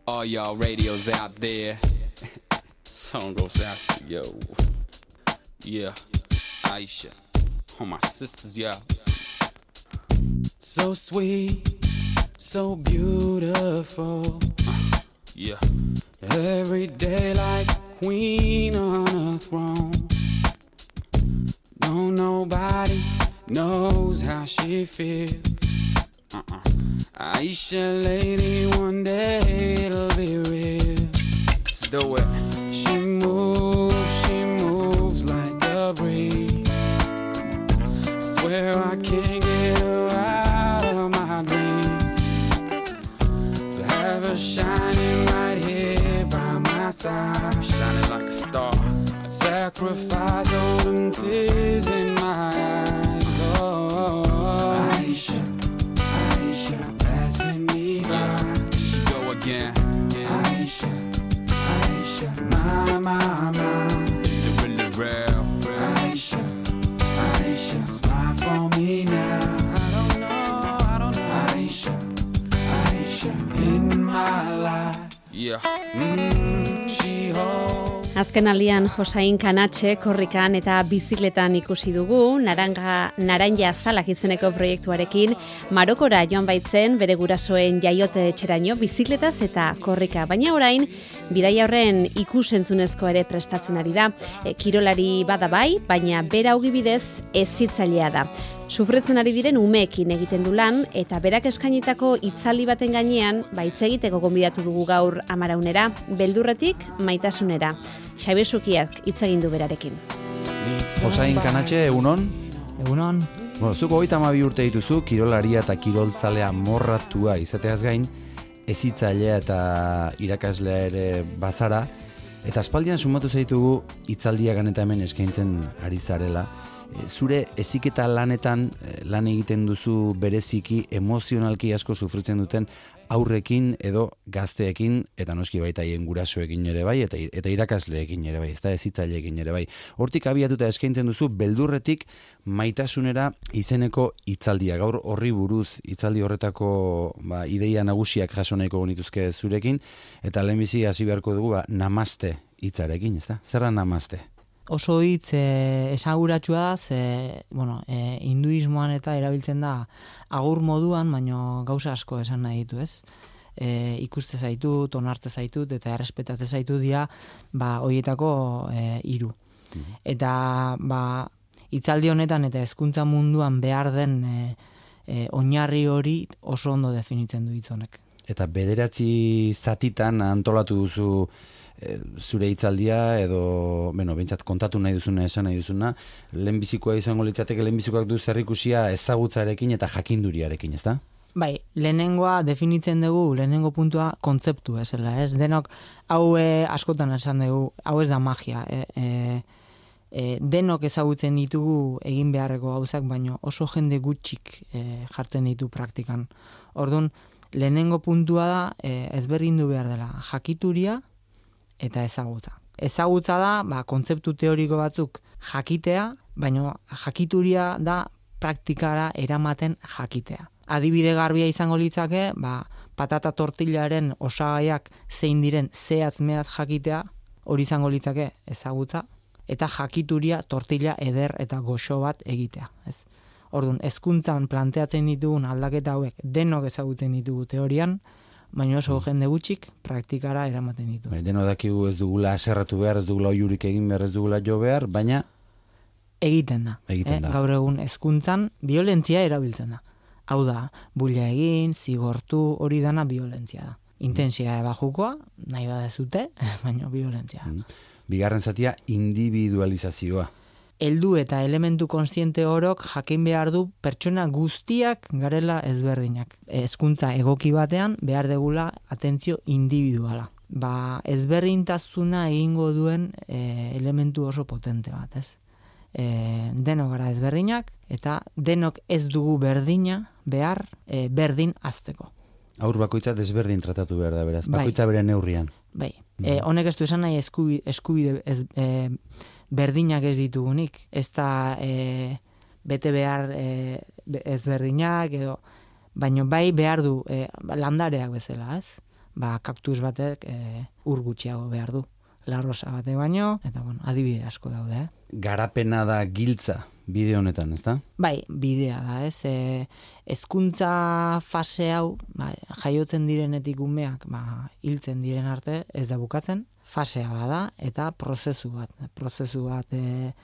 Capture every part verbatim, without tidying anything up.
All y'all radios out there. Song goes out to yo. Yeah, Aisha. All my sisters, yeah. So sweet, so beautiful. Uh, yeah. Every day like a queen on a throne. No, nobody knows how she feels. Uh-uh. Aisha, lady, one day it'll be real. Let's do it. She moves, she moves like a breeze. I swear I can't get her out of my dreams. So have her shining right here by my side, shining like a star. I'd sacrifice all them tears in my eyes. Oh, Aisha, Aisha, passing me by. Here she go again. Yeah. Aisha, Aisha, my, my, my. Is it really real? Aisha, Aisha, smile for me now. I don't know, I don't know. Aisha, Aisha, in my life. Yeah. Mm, she holds. Azken aldian Josain Kanatxe korrikan eta bizikletan ikusi dugu, naranja, naranja zalak izeneko proiektuarekin, Marokora joan baitzen bere gurasoen jaiote etxeraino bizikletaz eta korrika. Baina orain, bidaia horren ikusentzunezko ere prestatzen ari da. E, kirolari bada bai, baina bera ogibidez hezitzailea da. Sufritzen ari diren umeekin egiten du lan, eta berak eskainitako hitzaldi baten gainean, baitz egiteko gonbidatu dugu gaur Amaraunera, beldurretik maitasunera. Xabi Sukiak hitz egin du berarekin. Josain Kanatxe, egunon? Egunon. Bueno, zuko hogeita hamabi urte dituzu, kirolaria eta kiroltzalea morratua izateaz gain, hezitzailea eta irakaslea ere bazara, eta aspaldian sumatu zaitugu hitzaldiak eta hemen eskaintzen ari zarela. Zure heziketa lanetan lan egiten duzu bereziki emozionalki asko sufritzen duten aurrekin edo gazteekin, eta noski baita haien gurasoekin ere bai, eta, eta irakasleekin ere bai, ez da hezitzaileekin ere bai. Hortik abiatuta eskaintzen duzu beldurretik maitasunera izeneko hitzaldia. Gaur horri buruz hitzaldi horretako ba, ideia nagusiak jaso nahiko genituzke zurekin, eta lehenbizi hasi beharko dugu ba, namaste hitzarekin, ez da? Zer da namaste? Oso hitz e, esaguratsua da, ze, bueno, e, hinduismoan eta erabiltzen da agur moduan, baino gauza asko esan nahi ditu, ez? E, ikuste zaitut, onartze zaitut, eta errespetatze zaitut dira, ba, hoietako e, hiru. Mm-hmm. Eta, ba, hitzaldi honetan eta hezkuntza munduan behar den e, e, oinarri hori oso ondo definitzen du hitz honek. Eta bederatzi zatitan antolatu duzu zure hitzaldia edo, bueno, bentsat kontatu nahi duzuna, esan nahi duzuna, lehenbizikoa izango litzateke, lehenbizikoak du zerrikusia ezagutzarekin eta jakinduriarekin, ez da? Bai, lehenengoa definitzen dugu, lehenengo puntua kontzeptu ezela, ez? Denok, hau e, askotan esan dugu, hau ez da magia, e, e, e, denok ezagutzen ditugu egin beharreko gauzak, baino oso jende gutxik e, jartzen ditu praktikan. Orduan, lehenengo puntua da, e, ezberdindu behar dela, jakituria eta ezagutza. Ezagutza da, ba, kontzeptu teoriko batzuk jakitea, baina jakituria da praktikara eramaten jakitea. Adibide garbia izango litzake, ba, patata tortillaren osagaiak zein diren zehatz mehatz jakitea, hori izango litzake ezagutza, eta jakituria tortilla eder eta goxo bat egitea. Ez? Orduan, hezkuntzan planteatzen ditugun aldaketa hauek denok ezagutzen ditugu teorian, baina oso jende gutxik praktikara eramaten ditu. Bai, deno dakigu ez dugula aserratu behar, ez dugula oiurik egin behar, ez dugula jo behar, baina egiten da. Egiten eh? da. Gaur egun hezkuntzan violentzia erabiltzen da. Hau da, bulla egin, zigortu, hori dana violentzia da. Intensia bajukoa, nahi badezute, baina violentzia. Bigarren zatia, individualizazioa. Heldu eta elementu kontziente orok jakin behar du pertsona guztiak garela ezberdinak. Hezkuntza egoki batean behar degula atentzio individuala. Ba, ezberdintasuna egingo duen e, elementu oso potente bat, ez? E, denok gara ezberdinak eta denok ez dugu berdina behar e, berdin azteko. Aur bakoitza desberdin tratatu behar da, beraz. Bai. Bakoitza bere neurrian. Bai. E, honek ez du esan nahi eskubide, eskubide ez, e, berdinak ez ditugunik. Ez da e, bete behar e, ezberdinak, edo, baino bai behar du e, landareak bezala, ez? ba, kaktus batek e, ur gutxiago behar du. Larrosa bate baino, eta bueno, adibide asko daude. Eh? Garapena da giltza bide honetan, ezta? Bai, bidea da, ez? E, hezkuntza fase hau, ba, jaiotzen direnetik umeak, ba, hiltzen diren arte, ez da bukatzen, fasea bada, eta prozesu bat. Prozesu bat e,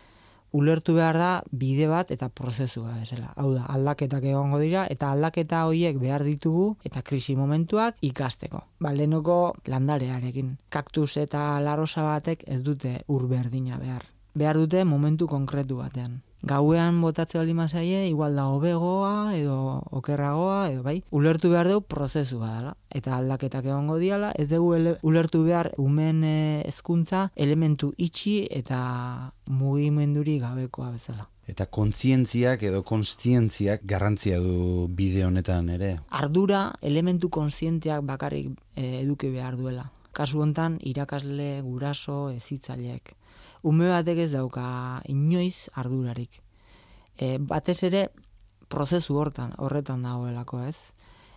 ulertu behar da bide bat eta prozesua bezala. Hau da, aldaketak egongo dira eta aldaketa horiek behar ditugu eta krisi momentuak ikasteko. Ba, lehenoko landarearekin. Kaktus eta larosa batek ez dute ur berdina behar. Behar dute momentu konkretu batean. Gauean botatze baldin mazaie, igual da hobegoa edo okerragoa, edo bai, ulertu behar dugu prozesua dela. Eta aldaketak egongo diala, ez dugu ele, ulertu behar umen hezkuntza elementu itxi eta mugimenduri gabekoa bezala. Eta kontzientziak edo konstientziak garrantzia du bide honetan ere. Ardura elementu kontzienteak bakarrik e, eduki behar duela. Kasu hontan irakasle, guraso, hezitzaileek. Ume batek ez dauka inoiz ardurarik. E, batez ere prozesu hortan, horretan dagoelako, ez?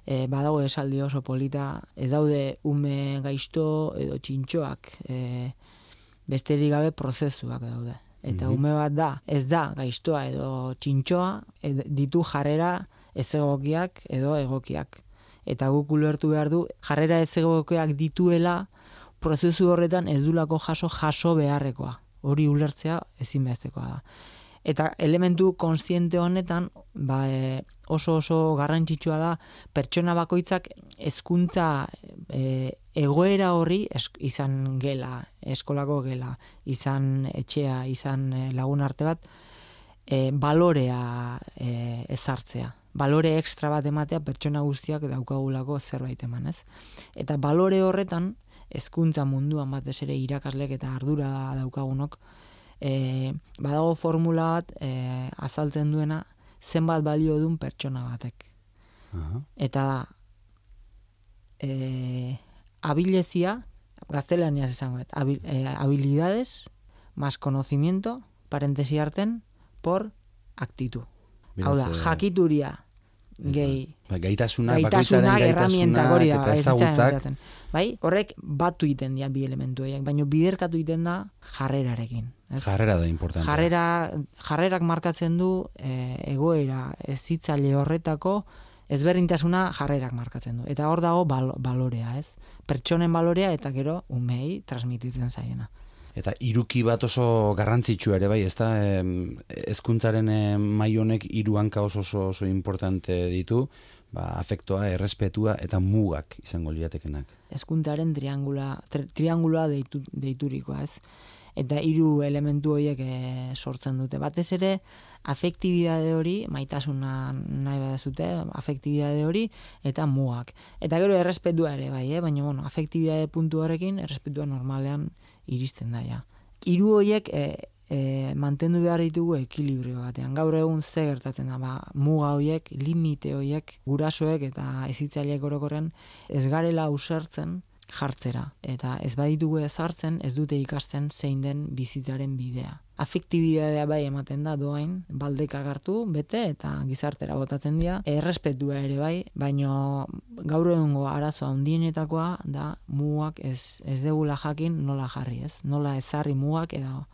E, badago esaldi oso polita, ez daude ume gaizto edo txintxoak, e, besterik gabe prozesuak daude. Eta ume bat da, ez da gaiztoa edo txintxoa, ed, ditu jarrera ez egokiak edo egokiak. Eta guk ulertu behar du, jarrera ez egokiak dituela, prozesu horretan ez dulako jaso jaso beharrekoa. Hori ulertzea ezinbestekoa da. Eta elementu kontziente honetan, ba, e, oso oso garrantzitsua da pertsona bakoitzak hezkuntza e, egoera horri es, izan gela, eskolako gela, izan etxea, izan lagun arte bat, e, balorea e, ezartzea. Balore ekstra bat ematea pertsona guztiak daukagulako zerbait eman, ez? Eta balore horretan, hezkuntza munduan batez ere irakaslek eta ardura daukagunok, e, badago formula bat e, azaltzen duena zenbat balio duen pertsona batek. Uh-huh. Eta da, e, abilezia, gaztelaniaz esango, habil, e, habilidades más conocimiento, parentesi arten, por actitud. Hau da, jakituria, gehi, ba, gaitasunak, gaitasunak, erramientak hori da, eta ezagutzak. Bai, horrek batu iten dira bi elementu horiek, baina biderkatu iten da jarrerarekin. Ez? Jarrera da importante. Jarrera, jarrerak markatzen du e, egoera hezitzaile horretako ezberdintasuna jarrerak markatzen du. Eta hor dago bal, balorea, ez? Pertsonen balorea eta gero umei transmititzen zaiena. Eta hiruki bat oso garrantzitsua ere bai, ezta? Hezkuntzaren mai honek hiru hanka oso oso, oso importante ditu, ba, afektoa, errespetua eta mugak izango liratekenak. Hezkuntzaren triangula, tri, trianguloa deitu, deiturikoa, ez? Eta hiru elementu horiek e, sortzen dute. Batez ere, afektibidade hori, maitasuna nahi badazute, afektibidade hori, eta mugak. Eta gero errespetua ere bai, eh? Baina, bueno, afektibidade puntu horrekin, errespetua normalean iristen da, ja. Hiru horiek e, e, mantendu behar ditugu ekilibrio batean. Gaur egun ze gertatzen da, ba, muga horiek, limite horiek, gurasoek eta hezitzaileek orokorrean ez garela usertzen jartzera. Eta ez baditugu ez hartzen, ez dute ikasten zein den bizitzaren bidea. Afektibidadea bai ematen da doain, baldeka hartu, bete eta gizartera botatzen dira. Errespetua ere bai, baino gaur egungo arazoa handienetakoa da mugak ez, ez degula jakin nola jarri, ez? Nola ezarri mugak edo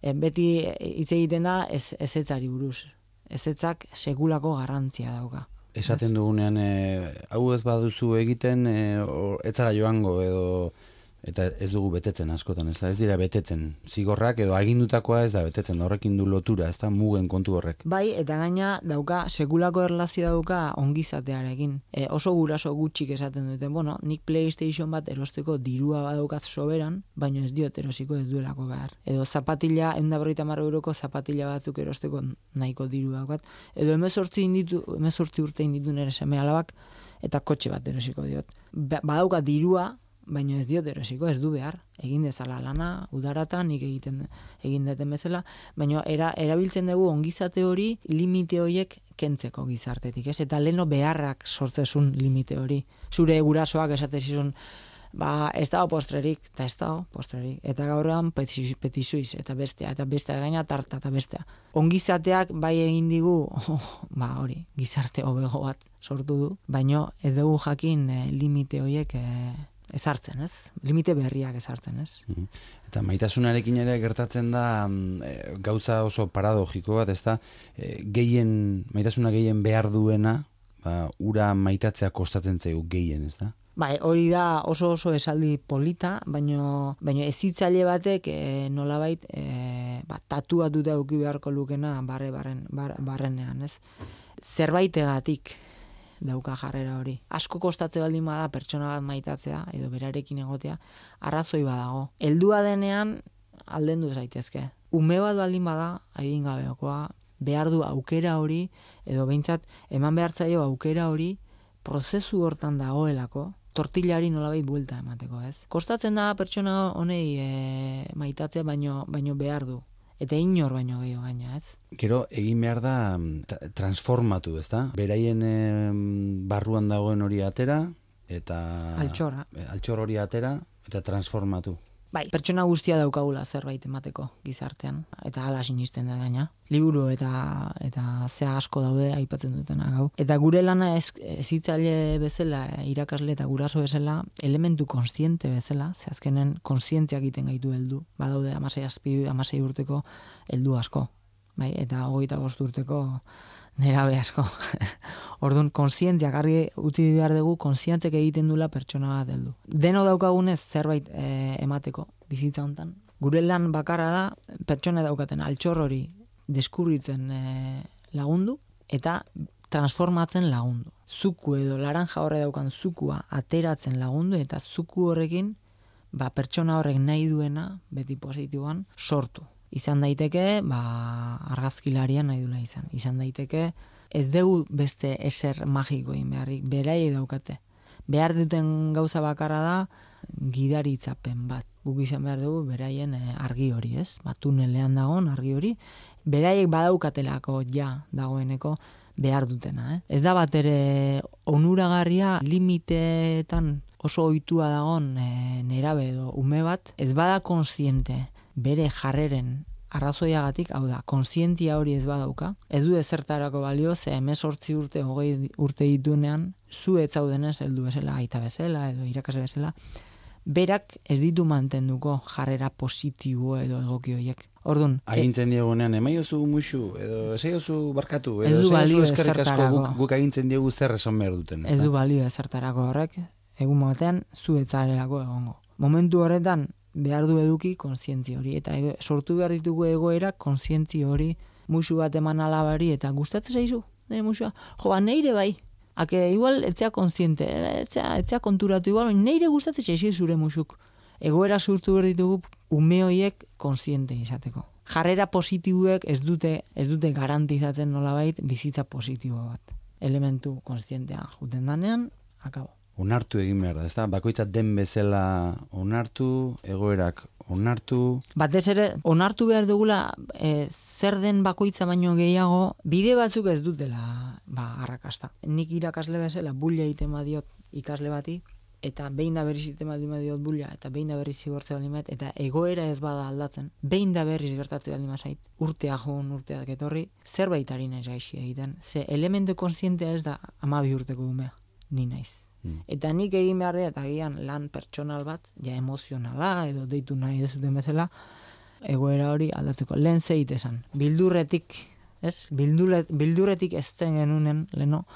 e, beti hitz egiten da ez, ezetzari buruz. Ezetzak sekulako garrantzia dauka. Esaten dugunean, e, hau ez baduzu egiten, e, etzara joango edo eta ez dugu betetzen askotan, ez da, ez dira betetzen. Zigorrak edo agindutakoa ez da betetzen, horrekin du lotura, ez da mugen kontu horrek. Bai, eta gaina dauka, sekulako erlazio dauka ongizatearekin. E, oso guraso gutxik esaten dute, bueno, nik PlayStation bat erosteko dirua badaukaz soberan, baino ez diot erosiko ez duelako behar. Edo zapatila, ehun eta berrogeita hamar euroko zapatila batzuk erosteko nahiko diru daukat. Edo hemezortzi inditu, hemezortzi urte inditu nere seme alabak, eta kotxe bat erosiko diot. Ba, badauka dirua, baina ez diot erosiko, ez du behar, egin dezala lana, udaratan, nik egiten egin deten bezala, baina era, erabiltzen dugu ongizate hori limite horiek kentzeko gizartetik, ez? Eta leno beharrak sortzezun limite hori. Zure gurasoak esatezizun, ba, ez dago postrerik, eta ez dago postrerik. Eta gaurrean petizuiz, eta bestea, eta bestea gaina tarta, eta bestea. Ongizateak bai egin digu, oh, ba hori, gizarte hobego bat sortu du, baina ez dugu jakin eh, limite horiek eh, ezartzen, ez? Limite berriak ezartzen, ez? Mhm. Eta maitasunarekin ere gertatzen da e, gauza oso paradogiko bat, ez da, e, gehien, maitasuna gehien behar duena, ba, ura maitatzea kostatzen zaigu gehien, ez da? Bai, hori da oso oso esaldi polita, baino, baino ezitzaile batek e, nolabait e, ba, tatuatuta eduki beharko lukena barre barren, bar, barrenean, ez? Zerbaitegatik dauka jarrera hori. Asko kostatze baldin bada pertsona bat maitatzea edo berarekin egotea, arrazoi badago. Heldua denean aldendu zaitezke. Ume bat baldin bada, adingabekoa, behar du aukera hori edo behintzat eman behar zaio aukera hori prozesu hortan dagoelako, tortillari nolabait buelta emateko, ez? Kostatzen da pertsona honei e, maitatzea baino baino behar du. Eta inor baino gehiago gaina, ez? Gero, egin behar da tra- transformatu, ez da? Beraien em, barruan dagoen hori atera, eta... Altxorra. e, Altxor hori atera, eta transformatu. Bai, pertsona guztia daukagula zerbait emateko gizartean, eta hala sinisten da gaina. Liburu eta eta zea asko daude aipatzen dutena gau. Eta gure lana ez, ezitzaile bezala, irakasle eta guraso bezala, elementu kontziente bezala, ze azkenen kontzientzia egiten gaitu heldu. Badaude hamasei azpi, hamasei urteko heldu asko, bai, eta hogeita bost urteko nerabe asko. Orduan, kontzientzia garri utzi behar dugu, kontzientzek egiten dula pertsona bat heldu. Deno daukagunez zerbait e, emateko bizitza hontan. Gure lan bakarra da, pertsona daukaten altxor hori deskubritzen e, lagundu, eta transformatzen lagundu. Zuku edo laranja horre daukan zukua ateratzen lagundu, eta zuku horrekin ba, pertsona horrek nahi duena, beti positiboan, sortu. Izan daiteke, ba, argazkilarian nahi dula izan. Izan daiteke, ez dugu beste eser magikoin beharrik, berai daukate. Behar duten gauza bakarra da, gidaritzapen bat. Guk izan behar dugu, beraien argi hori, ez? Ba, tunelean dagoen argi hori. Beraiek badaukatelako ja dagoeneko behar dutena, eh? Ez da bat ere onuragarria limiteetan oso ohitua dagoen e, nerabe edo ume bat, ez bada kontziente bere jarreren arrazoiagatik, hau da, kontzientia hori ez badauka, ez du ezertarako balio, ze hemezortzi urte, hogei urte ditunean, zu ez zaudenez heldu bezala, aita bezala, edo irakasle bezala, berak ez ditu mantenduko jarrera positibo edo egoki horiek. Orduan, agintzen diegunean, emaiozu musu, edo esaiozu barkatu, ez edo du balio esaiozu eskerrik asko, ezertarako. guk, guk agintzen diegu zer esan behar duten. Ez du balio ezertarako horrek, egun batean zu ez zarelako egongo. Momentu horretan, behar du eduki kontzientzia hori, eta ego, sortu behar ditugu egoera kontzientzia hori, musu bat eman alabari, eta gustatzen zaizu, nire musua, jo, ba, neire bai, ake igual etzea kontziente, etzea, etzea konturatu igual, neire gustatzen zaizu zure musuk. Egoera sortu behar ditugu ume horiek kontziente izateko. Jarrera positibuek ez dute, ez dute garantizatzen nolabait bizitza positibo bat. Elementu kontzientea juten danean, akabo. Onartu egin behar da, ezta? Bakoitza den bezala onartu, egoerak onartu. Batez ere, onartu behar dugula e, zer den bakoitza baino gehiago, bide batzuk ez dutela ba, arrakasta. Nik irakasle bezala bulla egiten badiot ikasle bati, eta behin da berriz egiten badiot bulla, eta behin da berriz zigortze baldin bat, eta egoera ez bada aldatzen, behin da berriz gertatze baldin bazait, urtea joan, urteak etorri, zerbait ari naiz gaixi egiten. Ze elementu kontzientea ez da hamabi urteko umea, ni naiz. Eta nik egin behar da, eta gian lan pertsonal bat, ja emozionala, edo deitu nahi dezuten bezala, egoera hori aldatzeko. Lehen zeit esan, bildurretik, ez? Bildurret, bildurretik ez zen genunen, leno,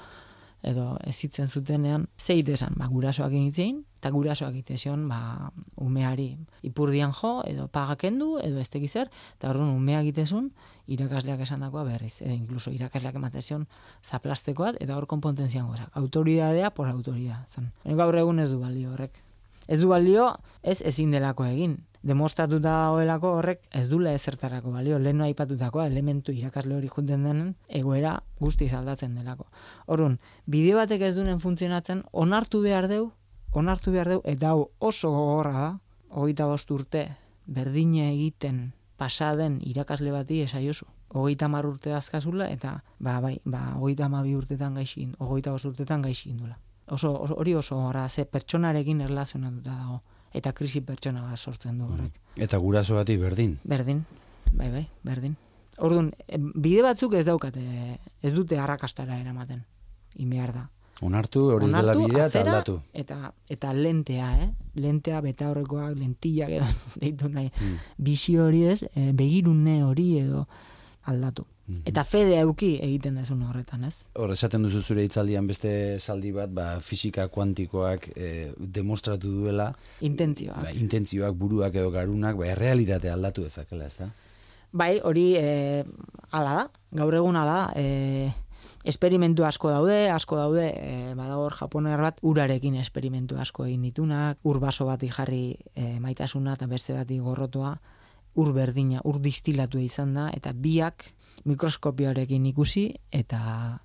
edo ezitzen zutenean, zeit esan, ba, gurasoak egitzein, eta gurasoak egitezion, ba, umeari ipurdian jo, edo pagakendu, edo ez tekizer, eta orduan umea egitezun, irakasleak esandakoa berriz, edo inkluso irakasleak ematezion zaplastekoat, eta hor konpontzen zian gozak. Autoridadea por autoridad. Zan. Gaur egun ez du balio horrek. Ez du balio, ez ezin delako egin. Demostratuta hoelako horrek ez dula ezertarako balio. Lehen aipatutakoa elementu irakasle hori juten denen egoera guztiz aldatzen delako. Orduan, bide batek ez duen funtzionatzen, onartu behar deu, onartu behar deu, eta hau oso gogorra da, hogeita bost urte, berdine egiten pasaden irakasle bati esaiozu. Hogeita hamar urte azkazula, eta ba, bai, ba, hogeita hamabi urtetan gaixin, hogeita bost urtetan gaixin dula. Oso, oso, hori oso gora, ze pertsonarekin erlazionatuta dago, eta krisi pertsona bat sortzen du horrek. Eta guraso bati berdin. Berdin, bai, bai, berdin. Orduan, bide batzuk ez daukate, ez dute arrakastara eramaten, inbehar da. Onartu, hori ez dela bidea eta atzera, aldatu. Eta, eta lentea, eh? lentea, betaurrekoak, lentillak edo deitu nahi. Mm. Bizio hori ez, e, begirune hori edo aldatu. Mm-hmm. Eta fede euki egiten dezun horretan, ez? Hor, esaten duzu zure hitzaldian beste zaldi bat, ba, fisika kuantikoak e, demostratu duela. Intentzioak. Ba, intentzioak, buruak edo garunak, ba, errealitatea aldatu dezakela, ez da? Bai, hori e, ala da, gaur egun ala da, e, esperimentu asko daude, asko daude, e, badago hor japoner bat, urarekin esperimentu asko egin ditunak, ur baso bati jarri e, maitasuna eta beste bati gorrotoa, ur berdina, ur distilatu izan da, eta biak mikroskopioarekin ikusi, eta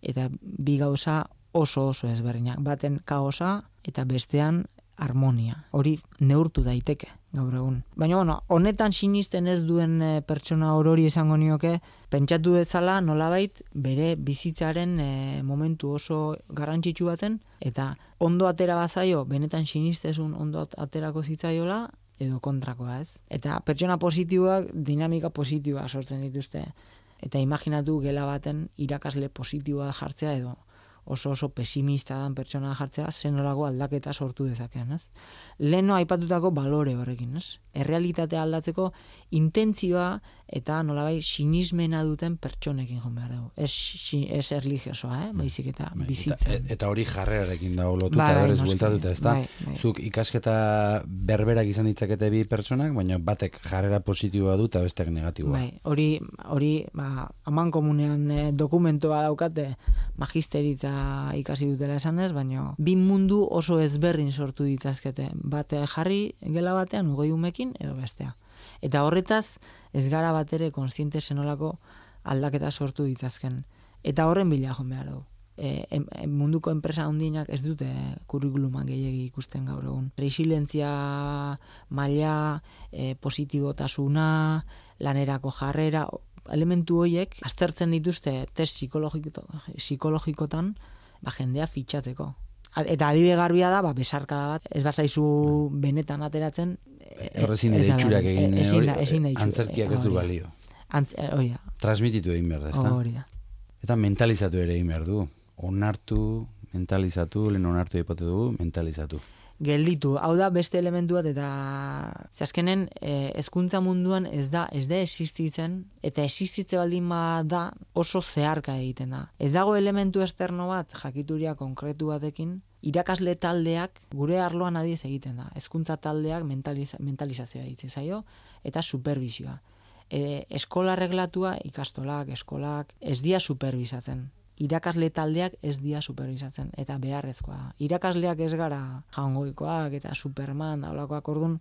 eta bi gauza oso oso ezberdinak. Baten kaosa eta bestean harmonia. Hori neurtu daiteke gaur egun. Baina, bueno, honetan sinisten ez duen e, pertsona orori esango nioke, pentsatu dezala nolabait bere bizitzaren e, momentu oso garrantzitsu baten, eta ondo atera bazaio, benetan sinistezun ondo aterako zitzaiola, edo kontrakoa, ez? Eta pertsona positiboak dinamika positiboa sortzen dituzte. Eta imaginatu gela baten irakasle positiboa jartzea edo oso oso pesimista dan pertsona jartzea zenolako aldaketa sortu dezakean, ez? Leno aipatutako balore horrekin, ez? Errealitatea aldatzeko intentzioa eta nolabait sinismena duten pertsonekin joan behar dugu. Ez, ez erligiosoa, eh? Baizik eta bizitzen. Eta, eta hori jarrerarekin dago lotuta, bai, berez bueltatuta, ez da? Bai, bai. Zuk ikasketa berberak izan ditzakete bi pertsonak, baina batek jarrera positiboa du eta besteak negatiboa. Bai, hori, hori ba, aman komunean eh, dokumentoa daukate magisteritza ikasi dutela esanez, baina bi mundu oso ezberdin sortu ditzazkete. Bate jarri gela batean ugoi umekin edo bestea. Eta horretaz ez gara bat ere kontziente zenolako aldaketa sortu ditzazken. Eta horren bila joan behar dugu. E, em, em, munduko enpresa handinak ez dute kurrikulumak gehiegi ikusten gaur egun. Resilientzia maila, e, positibotasuna, lanerako jarrera, elementu horiek aztertzen dituzte test psikologiko, psikologikotan ba, jendea fitxatzeko. Eta adibe garbia da, ba, besarkada bat, ez bazaizu benetan ateratzen. Horrezin ere itxurak egin, e, ezin da, ezin da itxurak. Antzerkiak ez du balio. Antz, hori da. Transmititu egin behar da, ez da? Hori da. Eta mentalizatu ere egin behar du. Onartu, mentalizatu, lehen onartu epote dugu, mentalizatu. Gelditu, hau da beste elementu bat, eta azkenen e, hezkuntza munduan ez da ez da existitzen, eta existitze baldin da oso zeharka egiten da. Ez dago elementu esterno bat, jakituria konkretu batekin, irakasle taldeak gure arloan adiez egiten da. Hezkuntza taldeak mentaliza, mentalizazioa ditzen zaio, eta supervisioa. E, eskola reglatua, ikastolak, eskolak, ez dia superbisatzen. Irakasle taldeak ez dia superbisatzen, eta beharrezkoa da. Irakasleak ez gara jangoikoak eta Superman, daulakoak ordun,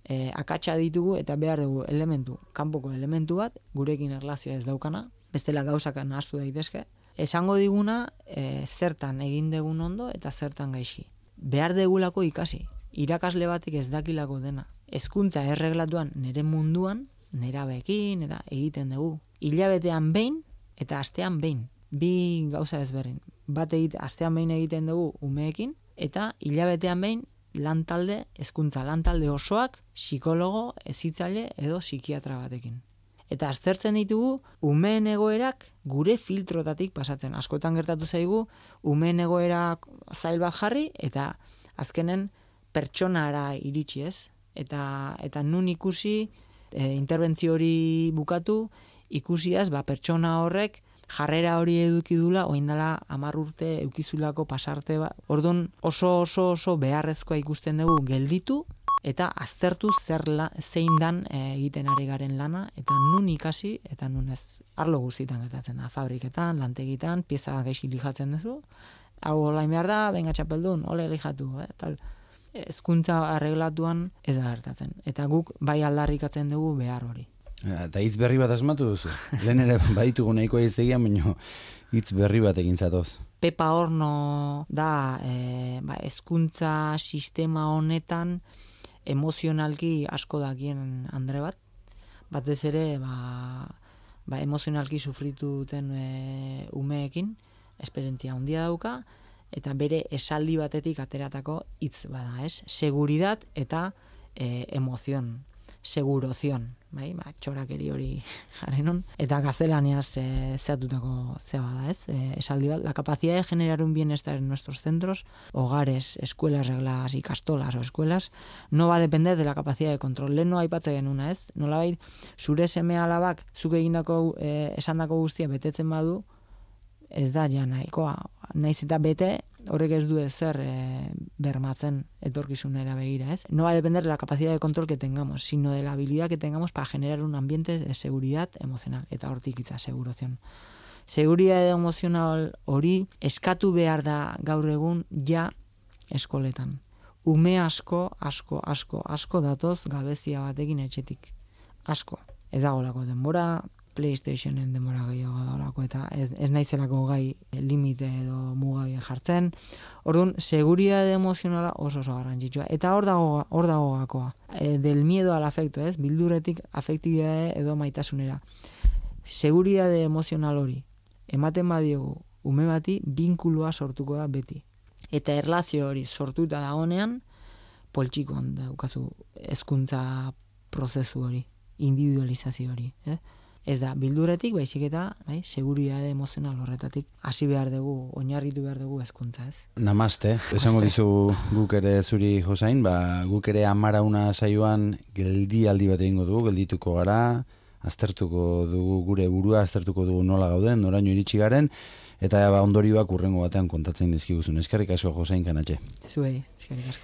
e, akatsa ditugu eta behar dugu elementu, kanpoko elementu bat, gurekin erlazioa ez daukana, bestela gauzak nahaztu daitezke. Esango diguna, e, zertan egin degun ondo eta zertan gaizki. Behar degulako ikasi. Irakasle batek ez dakilako dena. Hezkuntza erreglatuan nere munduan, nerabeekin eta egiten dugu. Hilabetean behin eta astean behin. Bi gauza ezberdin. Bat egite, astean behin egiten dugu umeekin, eta hilabetean behin lantalde, hezkuntza lantalde osoak, psikologo, hezitzaile edo psikiatra batekin. Eta aztertzen ditugu umeen egoerak gure filtrotatik pasatzen. Askotan gertatu zaigu, umeen egoerak zail bat jarri, eta azkenen pertsonara iritsi ez. Eta, eta nun ikusi, e, interbentzio hori bukatu, ikusiaz, ba, pertsona horrek jarrera hori eduki dula, oindala hamar urte eukizulako pasarte bat. Orduan oso oso oso beharrezkoa ikusten dugu gelditu eta aztertu zer la, zein dan e, egiten ari garen lana, eta nun ikasi eta nun ez. Arlo guztietan gertatzen da, fabriketan, lantegitan, pieza gaizki lijatzen duzu, hau olain behar da, benga txapeldun, ole lijatu, eh, tal. Hezkuntza arreglatuan ez da gertatzen. Eta guk bai aldarrikatzen dugu behar hori. Eta hitz berri bat asmatu duzu. Lehen ere baditugu nahikoa iztegian, baina hitz berri bat egin zatoz. Pepa Horno da e, ba, hezkuntza sistema honetan emozionalki asko dakien andre bat. Batez ere ba, ba, emozionalki sufritu duten e, umeekin, esperientzia handia dauka, eta bere esaldi batetik ateratako hitz bada, ez? Seguridad eta e, emozion. segurozion, bai, ba, txorakeri hori jarenon, eta gaztelaniaz e, zehatutako zeba da, ez? E, esaldi bat, la capacidad de generar un bienestar en nuestros centros, hogares, escuelas regladas, ikastolas o escuelas, no va a depender de la capacidad de control. Lehen no aipatze genuna, ez? Nolabait, zure seme alabak, zuk egindako, e, esandako guztia betetzen badu, ez da ja nahikoa. Naiz eta bete, horrek ez du ezer e, bermatzen etorkizunera begira, ez? No va a depender de la capacidad de control que tengamos, sino de la habilidad que tengamos para generar un ambiente de seguridad emocional. Eta hortik hitza, segurozion. Seguridad emozional hori eskatu behar da gaur egun ja eskoletan. Ume asko, asko, asko, asko datoz gabezia batekin etxetik. Asko. Ez dagolako denbora, PlayStationen denbora gehiago dagoelako, eta ez, ez naizelako gai limite edo mugai jartzen. Orduan, seguridade emozionala oso oso garrantzitsua. Eta hor dago, hor dago gakoa. E, del miedo al afecto, ez? Bilduretik afektibidade edo maitasunera. Seguridade emozional hori ematen badiogu ume bati, binkulua sortuko da beti. Eta erlazio hori sortuta dagonean, poltsikoan daukazu hezkuntza prozesu hori, individualizazio hori, eh? Ez da, bilduretik, baizik eta, bai, seguridade emozional horretatik hasi behar dugu, oinarritu behar dugu hezkuntza, ez? Namaste. Esango dizu guk ere zuri, Josain, ba, guk ere amara una saioan geldialdi bat egingo dugu, geldituko gara, aztertuko dugu gure burua, aztertuko dugu nola gauden, noraino iritsi garen, eta ba, ondorioak urrengo batean kontatzen dizkiguzun. Eskerrik asko, Josain Kanatxe. Zuei, eskerrik asko.